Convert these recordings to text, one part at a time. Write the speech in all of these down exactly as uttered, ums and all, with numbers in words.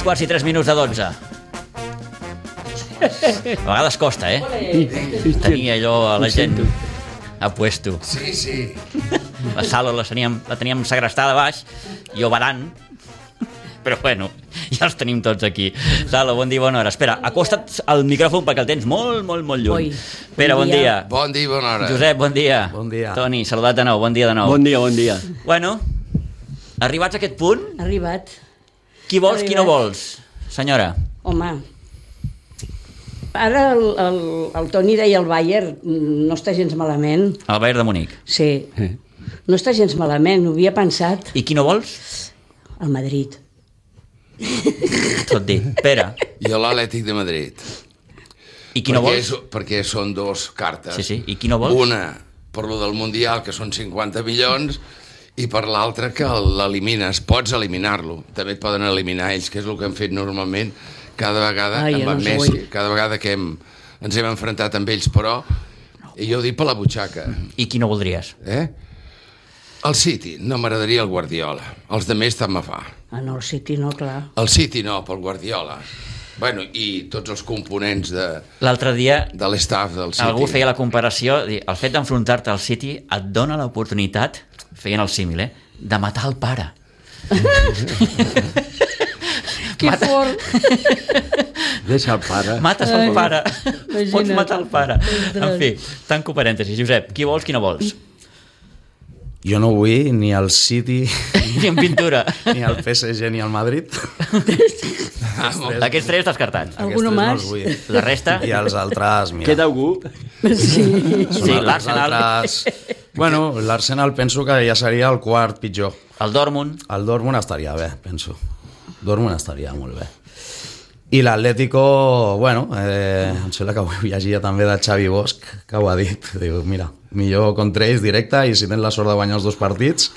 quarts i tres minuts de dotze. A vegades costa, eh? Tenir allò a la gent a puesto. Sí, sí. La sala la teníem, la teníem segrestada a baix i oberant, però bueno, ja els tenim tots aquí. Sala, bon dia, bona hora. Espera, acosta't al micròfon perquè el tens molt, molt, molt lluny. Pere, bon dia. Bon dia, bona hora. Josep, bon dia. Bon dia. Toni, saludat de nou, bon dia de nou. Bon dia, bon dia. Bueno, arribats a aquest punt, Arribat. qui vols, Arribat. qui no vols, senyora? Home, ara el, el, el Toni deia el Bayern, no està gens malament. El Bayern de Munic. Sí, no està gens malament, ho havia pensat. I qui no vols? El Madrid. Tot dit. Pere. Jo l'Atlètic de Madrid. I qui no perquè, vols? és, perquè són dos cartes. Sí, sí. I qui no vols? Una, per lo del Mundial, que són cinquanta milions, i per l'altra, que l'elimines. Pots eliminar-lo. També et poden eliminar ells, que és el que han fet normalment cada vegada Ai, amb no en sé, Messi. vull. Cada vegada que hem, ens hem enfrontat amb ells, però jo ho dic per la butxaca. I qui no voldries? Eh? El City, no m'agradaria el Guardiola. Els de més tant me fa. Ah, no, el City no, clar. El City no, pel Guardiola. Bueno, i tots els components de, L'altre dia de l'estaf del City. algú feia la comparació, dir, el fet d'enfrontar-te al City et dona l'oportunitat, feien el símil, eh, de matar el pare. Que fort! Deixa el pare. Mates el pare. imagina't. Pots matar el pare. Ostres. En fi, tanco parèntesis. Josep, qui vols, qui no vols? Jo no vull ni el City, Ni en pintura. ni el P S G, ni el Madrid. Aquests tres descartats. Alguno Aquests tres no más? els vull. La resta... I els altres, mira. Queda algú? Sí. són Sí, els l'Arsenal. altres- Bueno, l'Arsenal penso que ja seria el quart pitjor. El Dortmund. El Dortmund estaria bé, penso. Dortmund estaria molt bé. I l'Atlético, bueno, eh, em sembla que avui llegia també de Xavi Bosch, que ho ha dit. Diu, mira, millor contra ells directe i si tens la sort de guanyar els dos partits,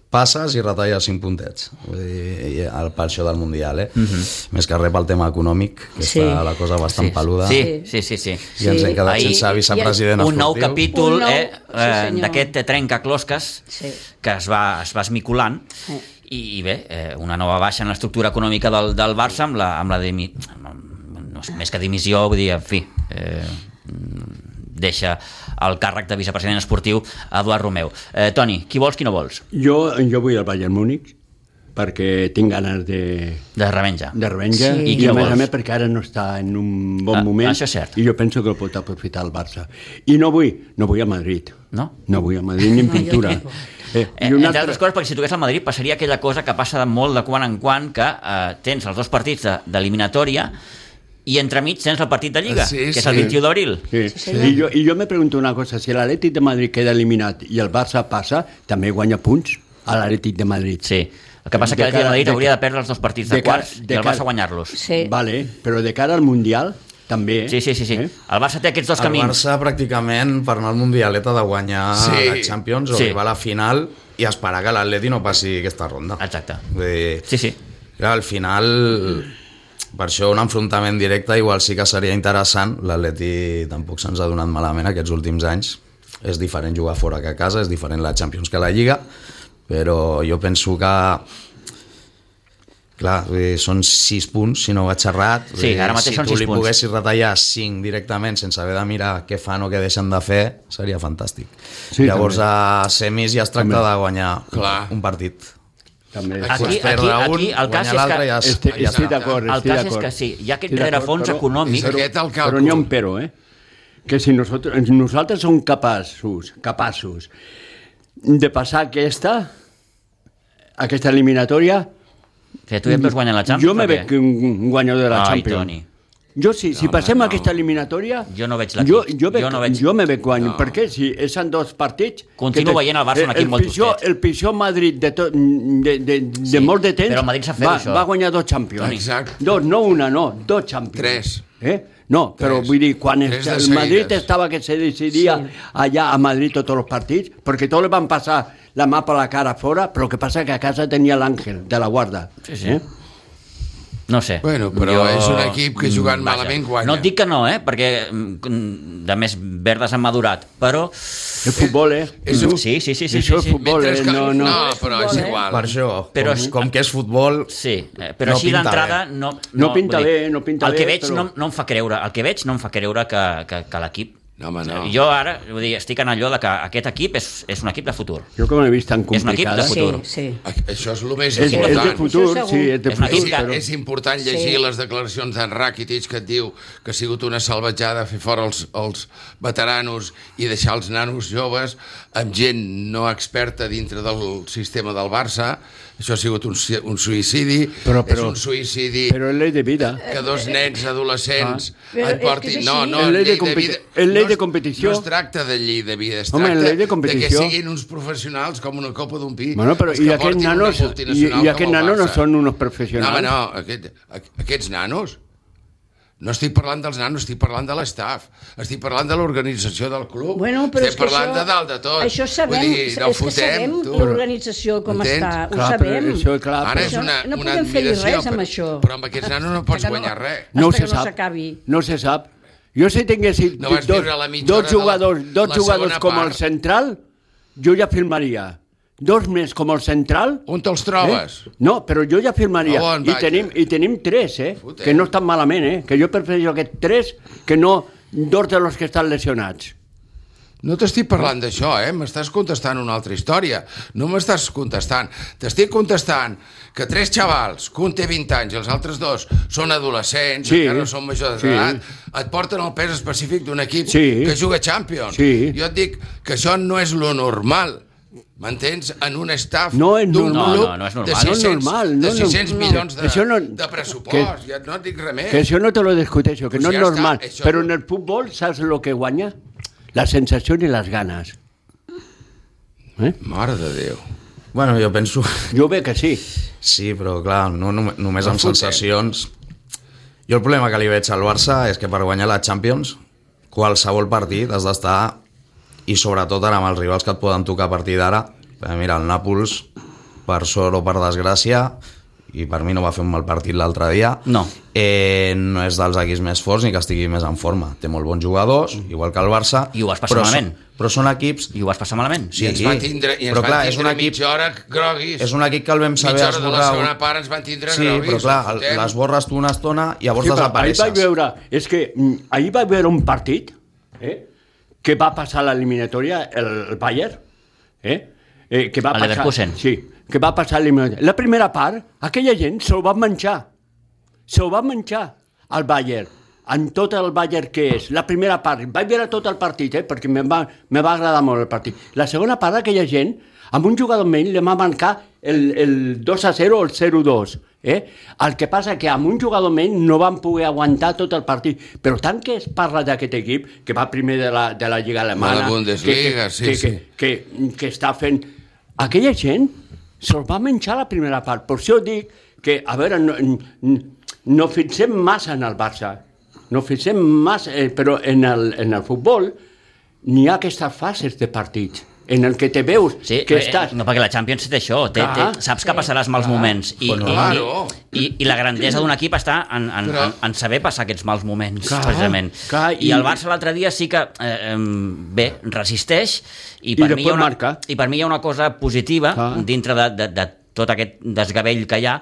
passes i retalles cinc puntets. Vull dir, el, per això del Mundial, eh? Uh-huh. Més que res pel tema econòmic, que Sí. està la cosa bastant Sí, peluda. sí, sí, sí, sí. I ens hem quedat Ahir- sense vicepresident Un nou esportiu. capítol Un nou- eh, sí, eh, senyor. d'aquest trencaclosques Sí. que es va, es va esmiculant Sí. i, i bé, eh, una nova baixa en l'estructura econòmica del, del Barça amb la, amb la dimi, no, és més que dimissió, vull dir, en fi, eh, deixa el càrrec de vicepresident esportiu a Eduard Romeu. Eh, Toni, qui vols, qui no vols? Jo, jo vull el Bayern Múnich perquè tinc ganes de, De revenja. de revenja Sí. i, I qui a no més a vols? més perquè ara no està en un bon Ah, moment això és cert. i jo penso que el pot aprofitar el Barça. I no vull, no vull a Madrid. No? No vull a Madrid ni en No, jo pintura. tampoc. Eh, Eh, I entre una altres altra... coses, perquè si toqués al Madrid passaria aquella cosa que passa de molt de quan en quan, que eh, tens els dos partits de- d'eliminatòria i entremig tens el partit de Lliga, Sí, que és sí. el vint-i-u d'abril. Sí. Sí, senyor. I, jo, I jo me pregunto una cosa, si l'Atlètic de Madrid queda eliminat i el Barça passa, també guanya punts a l'Atlètic de Madrid. Sí. El que passa De que l'Atlètic de cara- Madrid de- hauria de perdre els dos partits de, de cara- quarts de i el cara- Barça guanyar-los. Sí. Vale, però de cara al Mundial també... Sí, sí, sí, sí. Eh? El Barça té aquests dos El camins. Barça pràcticament per anar al Mundialet ha de guanyar Sí. la Champions o Sí. arribar a la final i esperar que l'Atleti no passi aquesta ronda. Exacte. Vull dir, Sí, sí. clar, al final, per això un enfrontament directe igual sí que seria interessant. L'Atleti tampoc se'ns ha donat malament aquests últims anys. És diferent jugar fora que a casa, és diferent la Champions que la Lliga, però jo penso que clar, vull dir, són sis punts, si no vaig errat. Vull Sí, dir, ara mateix si són tu sis li punts. poguessis retallar cinc directament sense haver de mirar què fan o què deixen de fer, seria fantàstic. Sí, Llavors també. a semis ja es tracta També. de guanyar Clar. un partit. També. Aquí- Pues perdre aquí- un, aquí el cas guanyar és l'altre que- ja, es- Estic, ja estic està. d'acord, El estic cas és d'acord. que sí, hi ha aquest Estic d'acord, rerefons però- econòmic. És aquest el càlcul. Però n'hi ha un però, eh? Que si nosaltres, nosaltres som capaços, capaços de passar aquesta, aquesta eliminatòria, Que tu ja et veus guanyant la Champions? jo me o què? veig un guanyador de la Ai, Champions. Toni. Jo, si, si No, passem home, no. aquesta eliminatòria... Jo no veig l'equip. Jo, jo, veig, Jo no veig- jo me veig guanyant. No. Per què? Si són dos partits... Continuo que te- veient el Barça un equip el molt pitjor, tostet. El pitjor Madrid de, to, de, de, de Sí, molt de temps però el Madrid sap fer-ho, va, això. va guanyar dos Champions. Exacte. Dos, no una, no, dos Champions. Tres. Eh? No, però Tres. vull dir, quan Tres de el Madrid seguides. estava que se decidia Sí. allà a Madrid tots els partits, perquè tots li van passar la mà per la cara fora, però el que passa que a casa tenia l'Àngel de la guarda. Sí, sí. Eh? No sé. Bueno, però jo... és un equip que jugant Vaja. malament guanya. No et dic que no, eh? Perquè de més verdes han madurat, però... El futbol, eh? És un... Sí, sí, sí. sí, Això sí, és futbol, eh? Que... No, no. no, però és igual. Per això, però com, és... com que és futbol... Sí, però no així d'entrada... No, no pinta bé, no pinta el bé. Que veig però... no, no em fa creure, el que veig no em fa creure que, que, que l'equip... No, home, no. Jo ara vull dir, estic en allò de que aquest equip és, és un equip de futur. Jo com l'he vist tan És un equip complicada. de futur. Sí, sí. Això és el més És, és important. de futur, sí, és de És una futur. equip que- Però... És important llegir Sí. les declaracions d'en Rakitic que et diu que ha sigut una salvatjada fer fora els, els veteranos i deixar els nanos joves amb gent no experta dintre del sistema del Barça. Això ha sigut un, un suïcidi. Però, però, és un suïcidi Però és llei de vida. que dos nens adolescents Ah. Però et portin... és que és No, així. no, És llei de llei de competi- vida... és llei no de es- competició. No es tracta de llei de vida, es Home, tracta llei de de que competició. siguin uns professionals com una copa d'un pi. Bueno, però els i que aquests portin una nanos, i, multinacional i com aquests el nanos no Barça. són unos No, home, professionals. no, aquest, aquests nanos... No estic parlant dels nanos, estic parlant de l'estaf, estic parlant de l'organització del club, Bueno, però és estic que parlant això, de dalt de tot. això sabem, Vull dir, no és que fotem, sabem tu. l'organització com Entens? està, ho Clar, però sabem. això, clar, Ara però- és una, no una podem fer-hi admiració, res amb però, això. però amb aquests nanos no pots Que no- guanyar res. No Hasta se que no sap. s'acabi. No se sap. Jo si tinguessin No vas dos, viure la mitja dos hora de la- jugadors, dos la jugadors segona com part. el central, jo ja firmaria. Dos més com el central... On te'ls trobes? Eh? No, però jo ja firmaria. A on, I vaja? tenim, I tenim tres, eh? Fotem. Que no estan malament, eh? Que jo prefereixo aquests tres que no dos de los que estan lesionats. No t'estic parlant d'això, eh? M'estàs contestant una altra història. No m'estàs contestant. T'estic contestant que tres xavals, que un té vint anys i els altres dos són adolescents, Sí. encara no són majors Sí. d'edat, et porten el pes específic d'un equip Sí. que juga Champions. Sí. Jo et dic que això no és lo normal. M'entens? En un staff No és d'un normal. club No, no, no és de normal. sis-cents, No és normal, no de és sis-cents normal. milions de, Això no- de pressupost. Ja no et dic res més. Que això no te lo discuteixo, que Pues no ja és està, normal. això Però no- en el futbol, saps el que guanya? La sensació i les ganes. Eh? Mare de Déu. Bueno, jo penso... Jo ve que sí. Sí, però clar, no, no, només No amb fotem. sensacions... Jo el problema que li veig al Barça és que per guanyar la Champions qualsevol partit has d'estar, i sobretot ara amb els rivals que et poden tocar a partir d'ara, mira, el Nàpols, per sort o per desgràcia, i per mi no va fer un mal partit l'altre dia, No. eh, no és dels equips més forts ni que estigui més en forma. Té molt bons jugadors, igual que el Barça, I ho vas passar però, malament. són, però són equips... I ho vas passar malament. Sí, I ens van tindre, i ens però van clar, és tindre un equip- mitja hora groguis. És un equip que el vam saber mitja hora de la esborrar. segona part ens van tindre Sí, groguis. però clar, no el- fotem. l'esborres tu una estona i llavors Sí, però ahir desapareixes. vaig veure, és que mm, ahir vaig veure un partit eh, que va passar l'eliminatòria, el, el Bayern, eh, eh, que va El passar, Leverkusen. sí, que va passar l'eliminatòria. La primera part, aquella gent se'l va menjar, se'l va menjar al Bayern, en tot el Bayern que és. La primera part, vaig veure tot el partit, eh, perquè me va, me va agradar molt el partit. La segona part, aquella gent, amb un jugador menys li va mancar el, el dos a zero o el zero a dos. Eh? El que passa que amb un jugador menys no van poder aguantar tot el partit. Però tant que es parla d'aquest equip, que va primer de la, de la Lliga Alemana... De la Bundesliga, que, que, sí, que, sí. Que, que, que està fent... Aquella gent se'l va menjar la primera part. Per això dic que, a veure, no, no fixem massa en el Barça, no fixem massa, eh, però en el, en el futbol n'hi ha aquestes fases de partits en el que te veus Sí, que eh, estàs... no, perquè la Champions té això, té, té, Clar. saps que passaràs mals moments i, Bueno, i, claro. i, i, i la grandesa d'un equip està en, en, Però- en, en saber passar aquests mals moments, Clar, precisament. clar, I, i- el Barça l'altre dia sí que, eh, em, bé, resisteix i I per, mi hi després ha una, marca. i per mi hi ha una cosa positiva Clar. dintre de, de, de tot aquest desgavell que hi ha,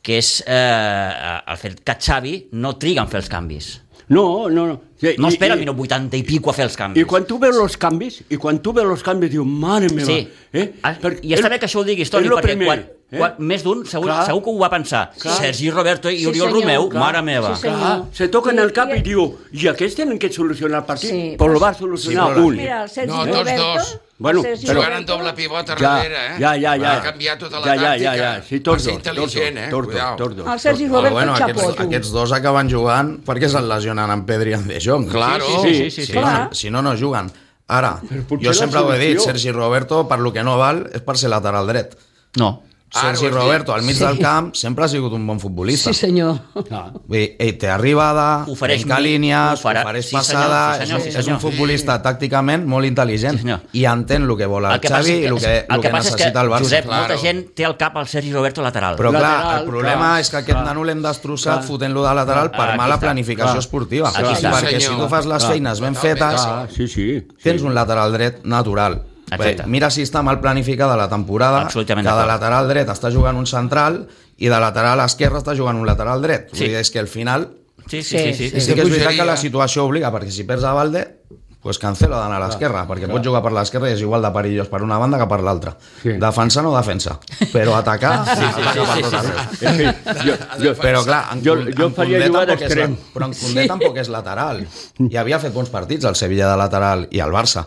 que és eh, el fet que Xavi no triga en fer els canvis. No, no, no. Sí, No i- espera al i- minut vuitanta i pico a fer els canvis. I quan tu veus els canvis, i quan tu veus els canvis, dius, mare meva, Sí. eh? Ah, Perquè I està és- bé que això ho diguis, Toni, és lo perquè primer, quan, eh? quan, més d'un segur, Clar. segur que ho va pensar. Clar. Sergi Roberto i Sí, Oriol senyor. Romeu, Clar. mare meva. Sí, senyor. Clar, se toquen I- el cap i- i diu, i aquests tenen que solucionar el partit, Sí, però però- lo va solucionar Sí, però- un. Mira, el Sergi No, tots Roberto... dos. Bueno, el Sergi però- Jugant en Roberto- doble pivot a Ja, darrere, eh? ja, ja, ja. Va canviar tota la ja, ja, tàctica. ja, ja. Sí, Va tots ser dos, tots intel·ligent, dos, eh? tots dos, Cuidao. tots dos. El Sergi Però Roberto bueno, xapó, aquests, tu. aquests dos acaben jugant perquè se'n lesionen en Pedri i en De Jong. Claro. Sí, sí, sí, sí, Si, sí. no, Clar. si no, no juguen. Ara, potser jo la sempre ho he dit, solució- Sergi Roberto, per lo que no val, és per ser lateral dret. No. Sergi Roberto al mig del camp sempre ha sigut un bon futbolista. Sí, senyor. Vull dir, ell té arribada, Ofereix trenca mi- línies, oferà- ofereix sí, passada, senyor, sí, senyor, és, sí, és un senyor. futbolista tàcticament molt intel·ligent Sí, senyor. i entén el que vol el, El que passa Xavi és i el que, el el que que passa és que, necessita el Barça. Josep, Claro. molta gent té al cap el Sergi Roberto lateral. Però clar, Lateral, el problema clar, és que aquest clar. nano l'hem destrossat Clar. fotent-lo de lateral per Aquí mala està. planificació Clar. esportiva. Aquí està. Perquè si Senyor. tu fas les Clar. feines ben Totalment. fetes, Ah, sí, sí. tens sí. un lateral dret natural. Exacte. Bé, mira si està mal planificada la temporada, Absolutament que de d'acord. lateral dret està jugant un central i de lateral esquerre està jugant un lateral dret. Sí. Vull dir, és que al final Sí, sí, sí. sí, sí, sí. que és veritat bogeria. que la situació obliga, perquè si perds a Valde, pues cancela d'anar a l'esquerra, perquè pots jugar per l'esquerra i és igual de perillós per una banda que per l'altra. Sí. Defensar no defensa, però atacar, sí, sí, ataca per tot arreu. En fi, jo, jo, Però clar, en, Jo- Kun- jo en faria Koundé jugar tampoc és d'extrem. la- però en Koundé sí. tampoc és lateral. I havia fet bons partits al Sevilla de lateral i al Barça.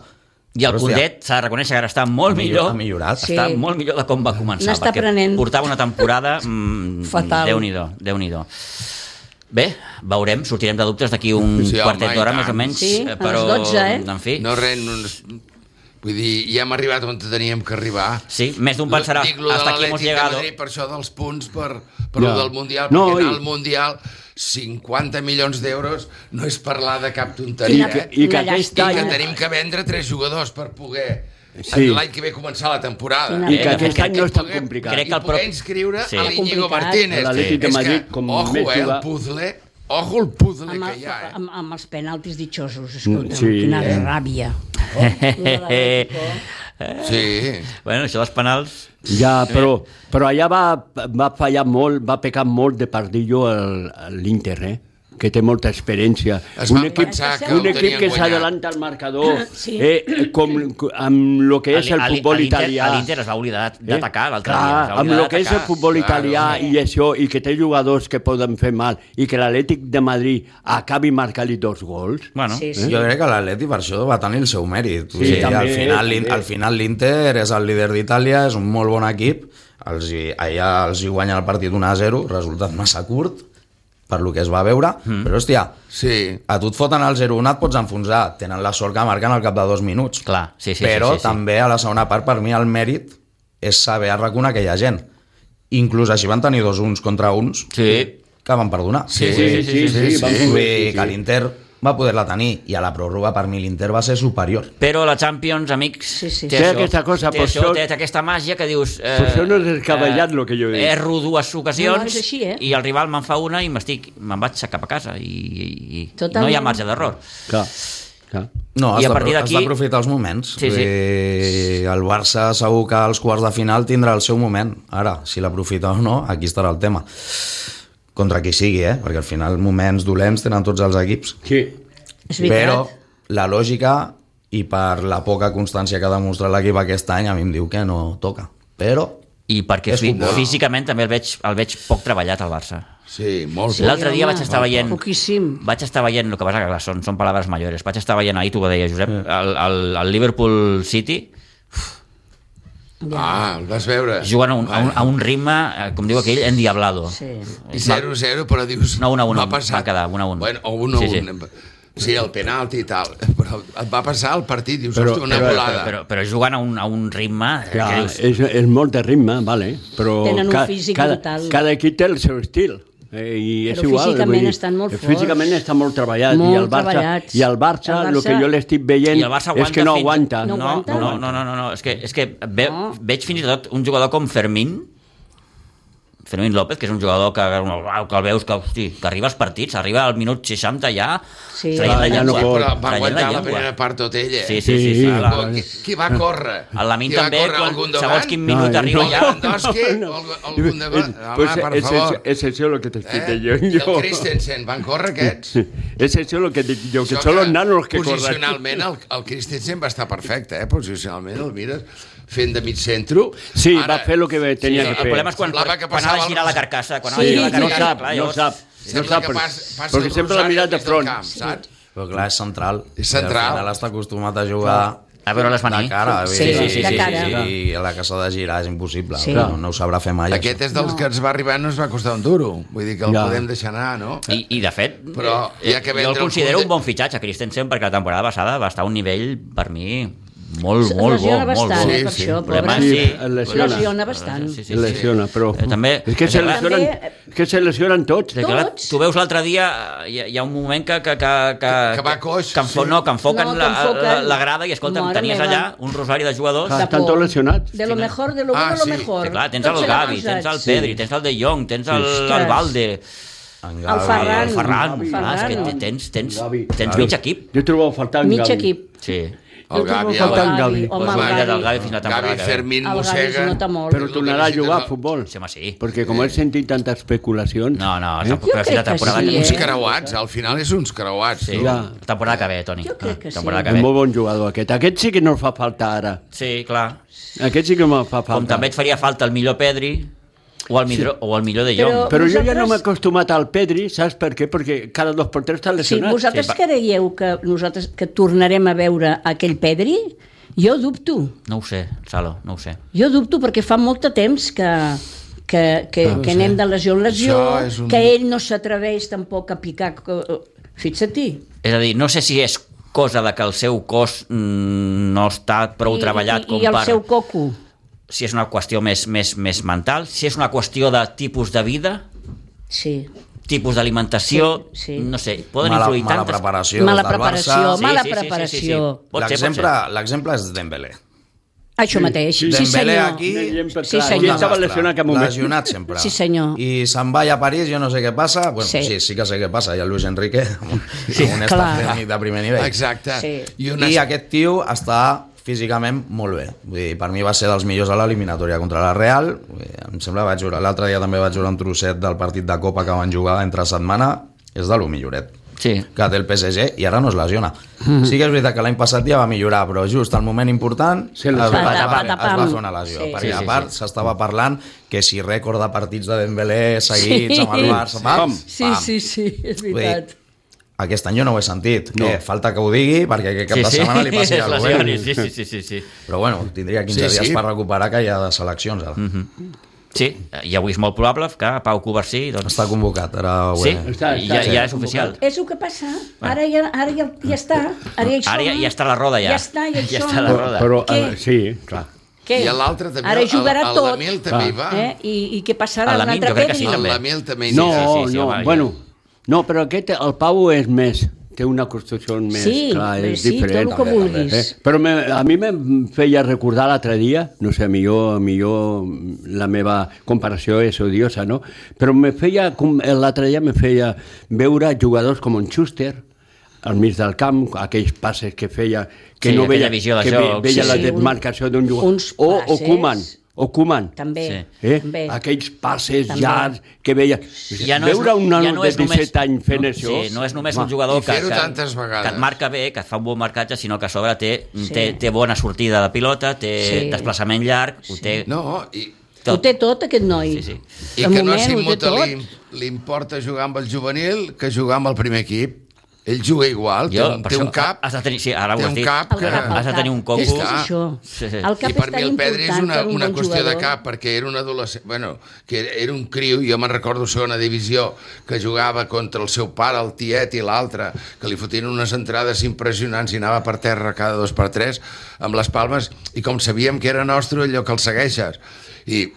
I el Però, hòstia, Koundé s'ha de reconèixer que ara està molt Ha millor- millor. ha millorat. Està Sí. molt millor de com va començar. N'està perquè prenent. portava una temporada mm, Fatal. Déu-n'hi-do, Déu-n'hi-do. Bé, veurem, sortirem de dubtes d'aquí un Sí, home, quartet i d'hora, tant. més o menys. Sí, eh, a però, les dotze, eh? En fi, No res, no, no, vull dir, ja hem arribat on teníem que arribar. sí, més d'un pensarà, Dic lo de hasta aquí hemos l'Atlètic de llegado. Madrid, per això dels punts, per, per Ja. lo del Mundial, No, perquè anar i- al Mundial cinquanta milions d'euros no és parlar de cap I tonteria, que- eh? I que Una aquest I llàstima. que any... tenim que vendre tres jugadors per poder Sí. l'any que ve començar la temporada. Quina I que Eh, aquest crec any que no és tan puguem- complicat. Crec que el I poder prop- inscriure Sí. a l'Iñigo Complicat. Martínez. L'Atlètic de És Madrid, que, com ojo, més eh, el jugar- puzzle, ojo el puzzle Amb, que el, hi ha, eh? amb, amb els penaltis ditxosos, escolta, Sí, quina eh? ràbia. Sí. Bueno, això dels penals... Ja, però, però allà va, va fallar molt, va pecar molt de pardillo el- l'Inter, eh? que té molta experiència. Es van pensar que un el equip tenien que guanyat. s'adelanta al marcador, Sí. eh, com, amb el que és el A l'I- futbol a l'Inter- italià. a L'Inter es va oblidar d'atacar l'altre Clar, dia. es va amb oblidar el que és el d'atacar. futbol italià Claro. i això, i que té jugadors que poden fer mal, i que l'Atlètic de Madrid acabi marcant-li dos gols. Bueno, Sí, sí. Jo crec que l'Atleti per això va tenir el seu mèrit. Vull Sí, dir, també, al final, també. l'In- al final l'Inter és el líder d'Itàlia, és un molt bon equip, els hi, allà els hi guanya el partit un a zero, resultat massa curt per lo que es va veure, mm. però hòstia, Sí. a tu et foten el zero a un, et pots enfonsar, tenen la sort que marquen al cap de dos minuts. Clar, sí, sí, però sí, sí, sí. també a la segona part per mi el mèrit és saber arraconar aquella gent. Inclús així van tenir dos uns contra uns Sí. que van perdonar. Sí, sí, sí, sí, sí, van sí, poder, sí, sí. que l'Inter va poder-la tenir i a la pròrroga per mi l'Inter va ser superior. Però la Champions, amics, Sí, sí, té, sí. això, Té aquesta cosa, té, per això, això- té aquesta màgia que dius... Eh, Per això no és descabellat lo que jo dic. Erro dues ocasions No, és així, eh? i el rival me'n fa una i m'estic me'n vaig cap a casa i, i, i Totalment. no hi ha marge d'error. Clar, clar. No, I has a de- partir has d'aquí- d'aprofitar els moments. Sí, sí. I el Barça segur que als quarts de final tindrà el seu moment. Ara, si l'aprofita o no, aquí estarà el tema. Contra qui sigui, eh? Perquè al final moments dolents tenen tots els equips. Sí. És veritat. Però la lògica i per la poca constància que ha demostrat l'equip aquest any a mi em diu que no toca. Però I perquè És fi, futbol. físicament també el veig, el veig poc treballat al Barça. Sí, molt Sí, poc. L'altre dia home, vaig estar veient... Poquíssim. Vaig estar veient, el que passa que clar, són, són paraules mayores, vaig estar veient, ahir tu ho deia, Josep, el, el, el Liverpool City Ah, el vas veure. juguen a un, a un, a un ritme, eh, com diu aquell, endiablado. Sí. I zero a zero, però dius... No, un a un, m'ha va passat. quedar, un a un. Bueno, o un a Sí, un. Sí, el penalti i tal. Però et va passar el partit, dius, Però- hosti, una però- volada. Però, però juguen a un, a un ritme eh, Clar, que dius, és, és molt de ritme, vale, però Tenen un ca- físic cada, brutal. cada equip té el seu estil. Eh, i és Però igual, físicament vull dir, estan molt forts. Físicament està molt treballat. Molt I el Barça, treballats. i el Barça, El el Barça- que jo l'estic veient i el Barça aguanta és que no fins- aguanta. No No, aguanta? no, no, no, no, no. És que, és que ve, No. veig fins i tot un jugador com Fermín, Fermín López, que és un jugador que, que el veus que, hosti, que arriba als partits, arriba al minut seixanta ja, Sí. traient la Clar, ja no llengua. pot. Però va traient aguantar la, llengua. primera part tot ell, eh? Sí, sí, sí. sí, Sí, clar. clar. Qui, qui va córrer? El Lamin Qui va també, córrer? quan, Algun segons davant? quin minut No, arriba no. ja... Lewandowski? Algun- algun davant? Home, Pues per és, favor. és, és això el que t'estic Eh? dient I el jo. Christensen, van córrer aquests? És això el que dic jo, que Això són els nanos que corren. Posicionalment el, el Christensen va estar perfecte, eh? Posicionalment el mires fent de mig centro. Sí, va fer el que tenia Sí, que el fer. problema és quan, Semblava que quan ha de passava girar el- la carcassa. Quan ha Sí, de girar la No carcassa, sap, clar, no llavors- sap. No Sembla sap, que perquè- pas, passa perquè el sempre l'ha Rosario mirat de al mig del front. camp, saps? Però clar, és central. És central. I al final està acostumat a jugar A veure-les venir. de cara. Sí, vull dir, sí, de cara. I a la que s'ha de girar és impossible. Sí. No, no ho sabrà fer mai. Aquest això. és dels que ens va arribar i no ens va costar un duro. Vull dir que el Ja. podem deixar anar, no? I, I de fet, Però eh, hi ha que jo vendre el el considero Koundé. un bon fitxatge, Christensen, perquè la temporada passada va estar a un nivell, per mi, molt, molt bo, lesiona molt bo. bastant, eh, per Sí, sí. això, Problema, pobre. sí. es lesiona. Lesiona bastant. Sí, sí, sí. Es lesiona, però... Eh, també- És que se també- lesionen, és que se lesionen tots. Sí, clar, Tots. tu veus l'altre dia, hi ha, hi ha un moment que... Que, que, que, Que va coix, que, enfo, sí. no, que enfoquen, No, que la, enfoquen. la, la grada i, escolta, Mare tenies meva. allà un rosari de jugadors. Ah, De estan por. tots lesionats. De lo mejor, de lo Ah, bueno, de sí. lo mejor. Sí, clar, tens Tots el Gavi, posats. tens el Pedri, tens el De Jong, tens el, Ostres. el Valde, En El Gavi, Ferran. el Ferran. El Clar, és que Ferran. te- tens, tens, Gavi. tens mig equip. Jo trobo a faltar en Mig Gavi. equip. Sí. El Gavi, Jo trobo falta en el Gavi. Home, Pues el va, del Gavi. Gavi fins la temporada Gavi que ve. Fermín El Gavi mossega... es nota molt. Però tornarà a jugar a futbol. Sí, home, sí. Perquè com he sentit tantes especulacions... No, no, Eh? tampoc Jo eh? crec la que temporada sí, que eh? Uns ve. creuats, al final és uns creuats. Sí, tu. Ja. la temporada que ve, Toni. Jo crec que sí. Temporada que És ve. molt bon jugador aquest. Aquest sí que no fa falta ara. Sí, clar. Aquest sí que me fa falta. Com també et faria falta el millor Pedri o el millor, o el millor De Jong. Però- Però jo ja Vosaltres- no m'he acostumat al Pedri, saps per què? Perquè cada dos per tres està Si lesionat. vosaltres Sí, va. creieu que nosaltres que tornarem a veure aquell Pedri, jo dubto. No ho sé, Salo, no ho sé. Jo dubto perquè fa molt de temps que, que, que, No ho que sé. anem de lesió en lesió, Això és un- que ell no s'atreveix tampoc a picar... Fixa-t'hi. És a dir, no sé si és cosa de que el seu cos mm, no està prou I- treballat i, com I el per... seu coco. Si és una qüestió més, més, més mental, si és una qüestió de tipus de vida, Sí. tipus d'alimentació, Sí, sí. no sé, poden mala, influir mala tantes... preparació Mala des del preparació, Barça. mala Sí, sí, sí, sí, preparació. sí, sí. Pot ser, pot L'exemple ser. l'exemple és Dembélé. Això mateix. Sí, Dembélé senyor. aquí... Exemple Sí, clar. senyor. Qui estava lesionat en aquest moment? Lesionat sempre. Sí, senyor. I se'n va a París, jo no sé què passa. Bueno, Sí. sí. sí, sí que sé què passa. Hi ha el Luis Enrique, sí, un clar. estat tècnic de primer nivell. Exacte. Sí. I, una... I aquest tio està físicament molt bé. Vull dir, per mi va ser dels millors a l'eliminatòria contra la Real. Vull dir, em sembla que vaig jugar... L'altre dia també vaig jugar un trosset del partit de Copa que van jugar entre setmana. És de lo milloret Sí. que té el P S G i ara no es lesiona. Sí que és veritat que l'any passat ja va millorar, però just al moment important Se es, li- va, es, va, Patapam. es va fer una lesió. Sí. Perquè Sí, sí, a part sí. s'estava parlant que si rècord de partits de Dembélé seguits Sí. amb el Barça, pam, Sí, pam. sí, sí, és Vull dir, veritat. aquest any jo no ho he sentit. No. Eh, falta que ho digui perquè aquest cap Sí, de sí. setmana li passi Es alguna lesioni, cosa. sí, sí, sí, sí, sí. Però bueno, tindria quinze Sí, sí. dies per recuperar que hi ha de seleccions ara. Sí, i avui és molt probable que Pau Covarsí doncs, Està convocat, ara ho sí, he... Està- i està- ja, sí. ja és oficial. És el que passa. Ara ja, ara ja, ja està. Ara ja, hi Ara ja, som. ja està la roda, ja. Ja està, ja hi ja som. està la roda. Però, Què? eh, sí, clar. Què? I l'altre també, Ara jugarà el- el tot. Lamil també hi va. Eh? I, I què passarà? El Un Lamil, altre jo crec que Pedri? sí, El també. Lamil també hi No, va. sí, sí, no, home, ja. bueno, no, però aquest, el Pau és més, té una construcció més, Sí, clar, bé, és sí, diferent. tot el que vulguis. Eh? Però me, a mi em feia recordar l'altre dia, no sé, millor, millor la meva comparació és odiosa, no? Però me feia, com l'altre dia me feia veure jugadors com en Schuster, al mig del camp, aquells passes que feia, que Sí, no aquella veia, visió de que joc, veia sí, la sí. demarcació d'un jugador. Uns O, o passes. Koeman, o Koeman. També. Sí. Eh? També. Aquells passes També. llargs que veia... Ja no és, Veure un nano ja no de és només, disset anys fent no, això... sí, no és només home, un jugador I que, fer-ho que, tantes vegades. que et marca bé, que et fa un bon marcatge, sinó que a sobre té, Sí. té, té bona sortida de pilota, té Sí. desplaçament llarg, ho té No, i, Ho té tot, aquest noi. Sí, sí. i De que no a moment ho té Simuta tot. li, li importa jugar amb el juvenil que jugar amb el primer equip. Ell juga igual, té, Jo, un, per té això, un cap, has de tenir, sí, ara ho té has un dit, cap El que... cap, el has de tenir un cap. coco. És que és Està. això. Sí, sí. El cap I per és mi tan el Pedri és important una, per un una bon qüestió de jugador. cap, perquè era un adolescent, bueno, que era, era un criu, jo me'n recordo segona divisió, que jugava contra el seu pare, el tiet i l'altre, que li fotien unes entrades impressionants i anava per terra cada dos per tres amb les palmes, i com sabíem que era nostre, allò que el segueixes. I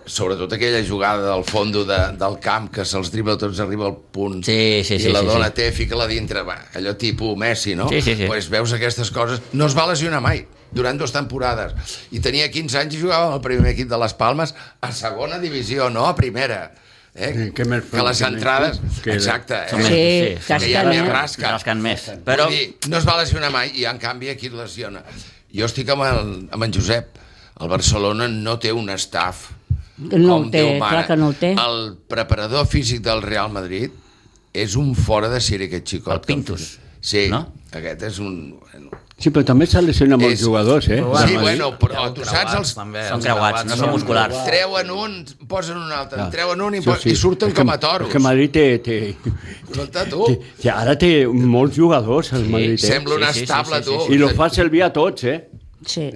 sobretot aquella jugada del fondo de, del camp, que se'ls dribla tots, arriba al punt, Sí, sí, sí, i la sí, dona sí. té, fica-la dintre, va, allò tipus Messi, no? Sí, sí, sí. Pues veus aquestes coses, no es va lesionar mai durant dues temporades, i tenia quinze anys i jugava amb el primer equip de les Palmes a segona divisió, no a primera, eh? Sí, que més que les que entrades més- que- exacte, Són eh? més- Sí, sí, que hi ha casquen, més eh? rasca, Rasquen més. però... Però, Vull dir, no es va lesionar mai, i en canvi aquí es lesiona. Jo estic amb, el, amb en Josep, el Barcelona no té un staff No com el té, Déu mana. clar que no el té. El preparador físic del Real Madrid és un fora de sèrie, aquest xicot. El Pintus, Sí, no? aquest és un... Bueno, Sí, però també s'ha lesionat molts És- jugadors, eh? Però sí, bueno, bueno, però Són tu saps creuats, els... també, són els creuats, no són són- musculars. Treuen un, posen un altre, en treuen un i, Això po- i surten És que- com a toros. És que Madrid té... té, Escolta, tu, té, té ara té molts jugadors, el Madrid. Eh? sembla una sí, sí, estable, sí, sí, tu. sí. I lo fa servir a tots, eh? Sí.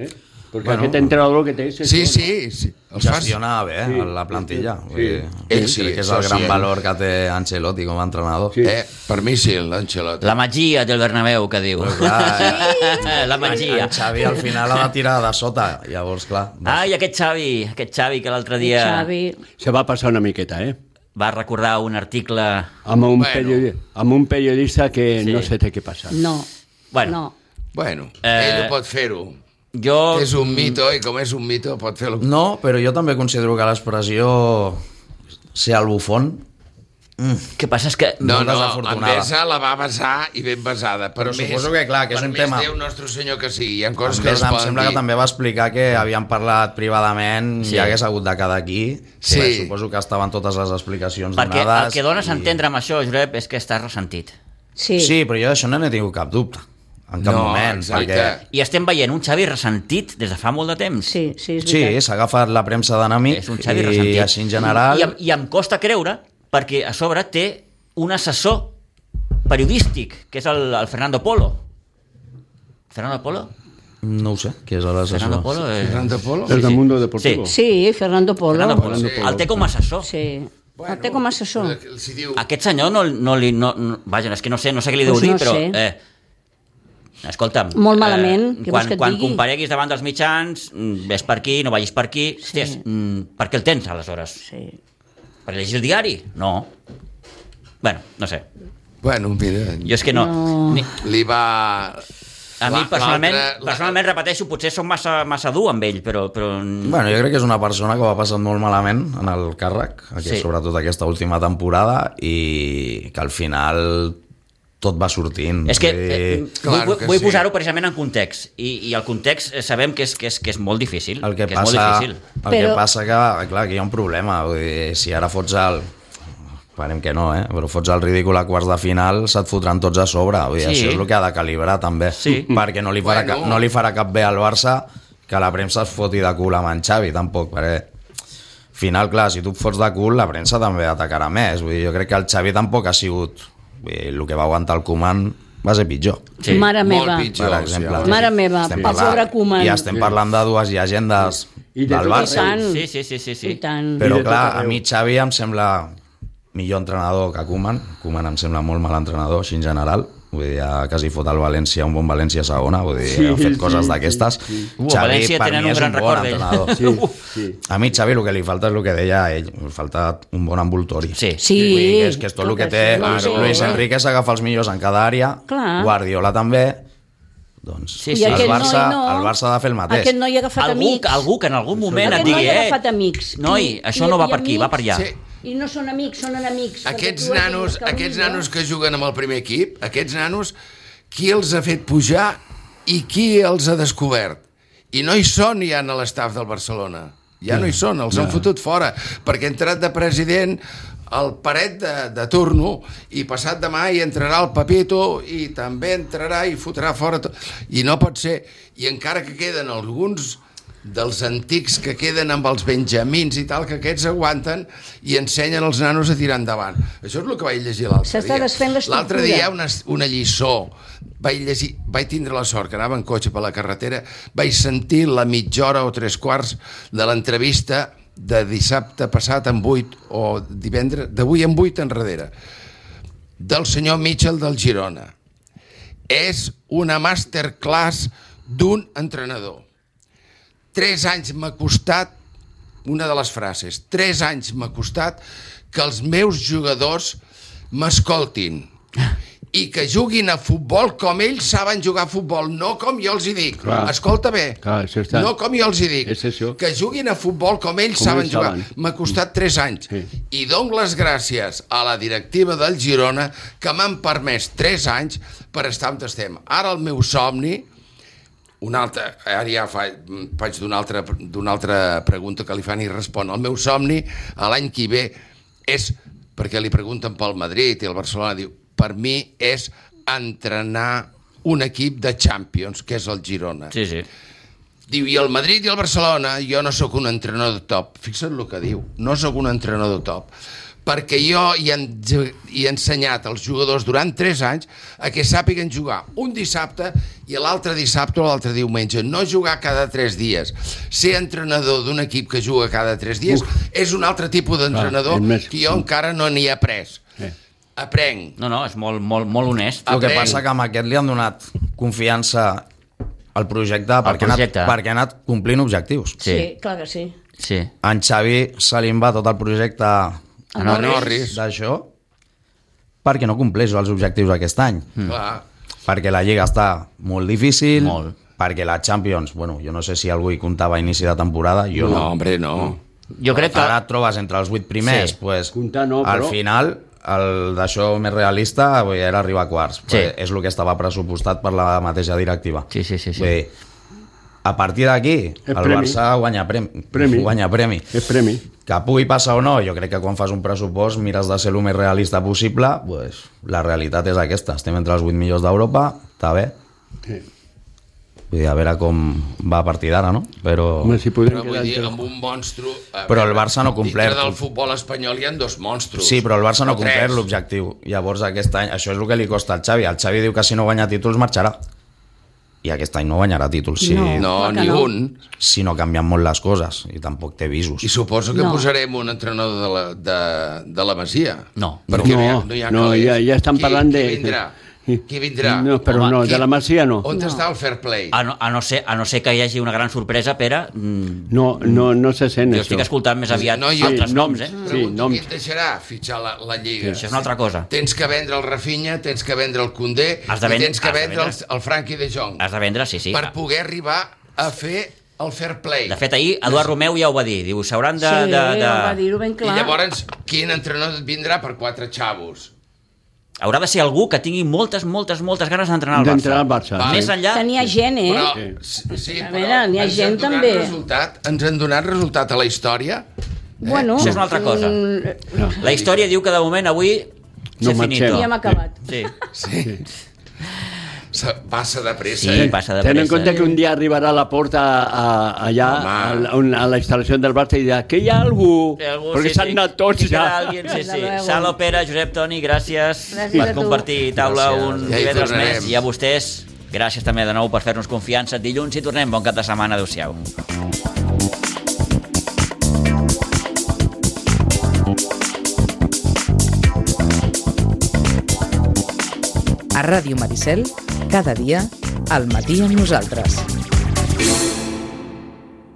Perquè Bueno. aquest entrenador que té... és Sí, això, sí, sí. Els fas... Gestiona bé Sí. la plantilla. Sí. Vull dir, Ell sí, crec que és això el gran sí, eh? valor que té Ancelotti com a entrenador. Sí. Eh, per mi sí, l'Ancelotti. La magia del Bernabéu, que diu. Però clar, La magia. en Xavi al final ha de tirar de sota, llavors clar. Ai, aquest Xavi, aquest Xavi que l'altre dia Xavi... Se va passar una miqueta, eh? va recordar un article... Amb un, Bueno. periodi... amb un periodista que Sí. no sé què passa. No, Bueno, no. Bueno, Eh, ell ho pot fer-ho. jo... És un mito, i com és un mito pot fer-lo. No, però jo també considero que l'expressió ser el bufón Què passa és que... No, molt no, en desafortunada. Besa la va basar i ben basada. Per Però més, suposo que, clar, que és per un més tema- Déu nostre senyor que sigui. Hi ha coses Em, que no es em poden sembla dir. que també va explicar que havien parlat privadament Sí. i hagués hagut de quedar aquí. Sí. Bé, suposo que estaven totes les explicacions Perquè donades. el que dones a i- entendre amb això, Josep, és que estàs ressentit. Sí. Sí, però jo d'això no n'he tingut cap dubte. En cap No, moment. exacte. Perquè I estem veient un Xavi ressentit des de fa molt de temps. Sí, sí, és sí, veritat. s'ha agafat la premsa d'enemic És un Xavi i ressentit. així en general... I, em- I em costa creure, perquè a sobre té un assessor periodístic, que és el, el Fernando Polo. Fernando Polo? No ho sé, qui és l'assessor. Fernando Polo és... Fernando Polo? El del Mundo Deportivo. Sí. Sí, Fernando Polo. Fernando Polo. Sí. El té com a assessor. Sí. Bueno, el té com a assessor. Si diu... Aquest senyor no, no li... No, no, vaja, és que no sé, no sé què li deu Pues dir, no però... sé. Eh, escolta'm... Molt malament, què vols quan, que et quan digui? compareguis davant dels mitjans, mm, ves per aquí, no vagis per aquí... Sí. Hòsties, mm, per què el tens, aleshores? Sí. Per llegir el diari? No. Bueno, no sé. Bueno, mira, Jo és que no... No. Ni, li va... a mi, la- personalment, l'altre- la- personalment, repeteixo, potser som massa, massa dur amb ell, però... però... Bueno, jo crec que és una persona que ho ha passat molt malament en el càrrec, aquí, Sí. sobretot aquesta última temporada, i que al final tot va sortint. És que Vull dir, eh, vull, Claro vull, que vull sí. posar-ho precisament en context, i, i el context eh, sabem que és, que és, que és molt difícil. el que, que és molt passa, difícil. el Però- que passa que, clar, que hi ha un problema. Vull dir, si ara fots el... Esperem que no, eh? Però fots el ridícul a quarts de final, se't fotran tots a sobre. Vull dir, Sí. Això és el que ha de calibrar, també. Sí. Perquè no li, farà Bueno. cap, no li farà cap bé al Barça que la premsa es foti de cul amb en Xavi, tampoc, perquè al final, clar, si tu et fots de cul, la premsa també atacarà més. Vull dir, jo crec que el Xavi tampoc ha sigut... Vull dir, el que va aguantar el Koeman va ser pitjor. Sí. Mare Molt meva. pitjor. Per exemple. sí. Mare meva, Estem pel pobre Koeman. I estem parlant de dues llegendes I de del tot Barça. arreu. Sí, sí, sí, sí, sí. I tant. Però I de tot clar, a arreu. mi Xavi em sembla millor entrenador que Koeman. Koeman em sembla molt mal entrenador, així en general. Vull dir, ja quasi fot el València, un bon València a segona, vull dir, Sí, ha fet sí, coses sí, d'aquestes. sí. Uh, a València per tenen mi un és gran bon record d'ell. entrenador. Sí, sí. A mi Xavi el que li falta és el que deia ell, li falta un bon envoltori. Sí. Sí. Vull dir que és que és tot el que té això, Luis, sí. Luis Enrique s'agafa els millors en cada àrea, Clar. Guardiola també, doncs Sí, I sí. el, aquest Barça, noi no. el Barça ha de fer el mateix. Aquest noi ha agafat Algú, amics. algú que en algun moment Aquest et digui, noi ha eh, agafat amics. noi, I- això i- no va i per aquí, va per allà. Sí. I no són amics, són enemics. perquè Aquests tu has nanos, de buscar aquests el millor. nanos que juguen amb el primer equip, aquests nanos, qui els ha fet pujar i qui els ha descobert? I no hi són ja a l'estaf del Barcelona. Ja no hi són, els han fotut fora, perquè ha entrat de president el Paret de, de turno i passat demà hi entrarà el Pepito i també entrarà i fotrà fora tot. I no pot ser. I encara que queden alguns dels antics que queden amb els benjamins i tal, que aquests aguanten i ensenyen els nanos a tirar endavant. Això és el que vaig llegir l'altre dia. S'està desfent l'estructura. L'altre dia una, una lliçó. Vaig, llegir, vaig tindre la sort que anava en cotxe per la carretera, vaig sentir la mitja hora o tres quarts de l'entrevista de dissabte passat en vuit o divendres, d'avui en vuit enrere, del senyor Mitchell del Girona. És una masterclass d'un entrenador. Tres anys m'ha costat, una de les frases, tres anys m'ha costat que els meus jugadors m'escoltin i que juguin a futbol com ells saben jugar a futbol, no com jo els hi dic. Clar. Escolta bé, Clar, això està. no com jo els hi dic. És això. Que juguin a futbol com ells Com saben ells jugar. saben. M'ha costat tres anys. Sí. I dono les gràcies a la directiva del Girona que m'han permès tres anys per estar on estem. Ara el meu somni, una altra, ara ja fa, faig d'una altra, d'una altra pregunta que li fan i respon. El meu somni a l'any que ve és, perquè li pregunten pel Madrid i el Barcelona, diu, per mi és entrenar un equip de Champions, que és el Girona. Sí, sí. Diu, i el Madrid i el Barcelona, jo no sóc un entrenador de top. Fixa't el que diu, no sóc un entrenador de top. perquè jo hi he, hi he ensenyat als jugadors durant tres anys a que sàpiguen jugar un dissabte i l'altre dissabte o l'altre diumenge, no jugar cada tres dies. Ser entrenador d'un equip que juga cada tres dies Uf. és un altre tipus d'entrenador ah, que jo encara no n'hi he après. Eh. Aprenc. No, no, és molt, molt, molt honest. El que passa que amb aquest li han donat confiança al projecte, al perquè, projecte. Ha anat, perquè ha anat complint objectius. Sí, sí clar que sí. sí. En Xavi se li va tot el projecte a Norris d'això perquè no compleix els objectius aquest any. Mm. Clar. Perquè la Lliga està molt difícil, molt. perquè la Champions, bueno, jo no sé si algú hi comptava a inici de temporada, jo no. No, hombre, no. Jo crec que... Ara et trobes entre els vuit primers, sí. pues, Comptar no, al però... final, el d'això més realista era arribar a quarts. Sí. Pues, és el que estava pressupostat per la mateixa directiva. Sí, sí, sí. sí. Vull dir, a partir d'aquí, el premi. Barça guanya premi. premi. Guanya premi. És premi. Que pugui passar o no, jo crec que quan fas un pressupost mires de ser el més realista possible, pues, la realitat és aquesta. Estem entre els vuit millors d'Europa, està bé. Sí. Vull dir, a veure com va a partir d'ara, no? Però... Home, si Però vull dir, amb un monstru... Però el Barça no ha complert. Dintre del futbol espanyol hi ha dos monstros. Sí, però el Barça no ha O complert tres. l'objectiu. Llavors aquest any, això és el que li costa al Xavi. El Xavi diu que si no guanya títols marxarà. I aquest any no guanyarà títols si No. No, Clar que ni no. un. si no canvien molt les coses. I tampoc té visos. I suposo que No. posarem un entrenador de la, de, de la Masia. No. Perquè No, no hi ha no, calés. ja- ja estan Qui- parlant qui de- Vindrà? Qui vindrà? No, però Home, no, qui- de la Masia no. On està el fair play? A no, a, no ser, a no ser que hi hagi una gran sorpresa, Pere, mm, No, no, no se sent jo això. estic escoltant més aviat No, jo- altres Sí, noms, noms. eh? Sí, Pregunto, noms. qui et deixarà fitxar la, la Lliga? Això és una altra cosa. Tens que vendre el Rafinha, tens que vendre el Koundé Has de i vendre- tens que has de vendre el, vendre. el Frankie de Jong Has de vendre, sí, sí. per poder arribar a fer el fair play. De fet, ahir Eduard Romeu ja ho va dir. Diu, s'hauran de... Sí, de, de... va dir-ho ben I clar. llavors, quin entrenador et vindrà per quatre xavos? Haurà de ser algú que tingui moltes, moltes, moltes ganes d'entrenar al Barça. D'entrenar al Barça. Va. Més enllà... Que n'hi ha gent, eh? Però, Sí. sí, sí, A però veure, n'hi ha ens gent han donat també. Resultat, ens han donat resultat a la història? Bueno, Això és una altra cosa. mm, La història diu que de moment avui No s'ha finito. marxem. ja hem acabat. Sí. Sí. Se- Passa de pressa. Sí, eh? passa de Ten en pressa. compte que un dia arribarà a la porta a, a, allà, Home. a, la- a la instal·lació del Barça i dirà que hi ha algú, Té algú, perquè sí, s'han sí. anat tots Sí, ja. queda alguien, sí, Desde sí. luego. Salo, Pere, Josep, Toni, gràcies, Gràcies per a tu. compartir taula Gràcies. un Ja hi divendres tornarem. més. I a vostès, gràcies també de nou per fer-nos confiança. Dilluns hi tornem. Bon cap de setmana. Adéu-siau. A Ràdio Maricel, cada dia, al matí amb nosaltres.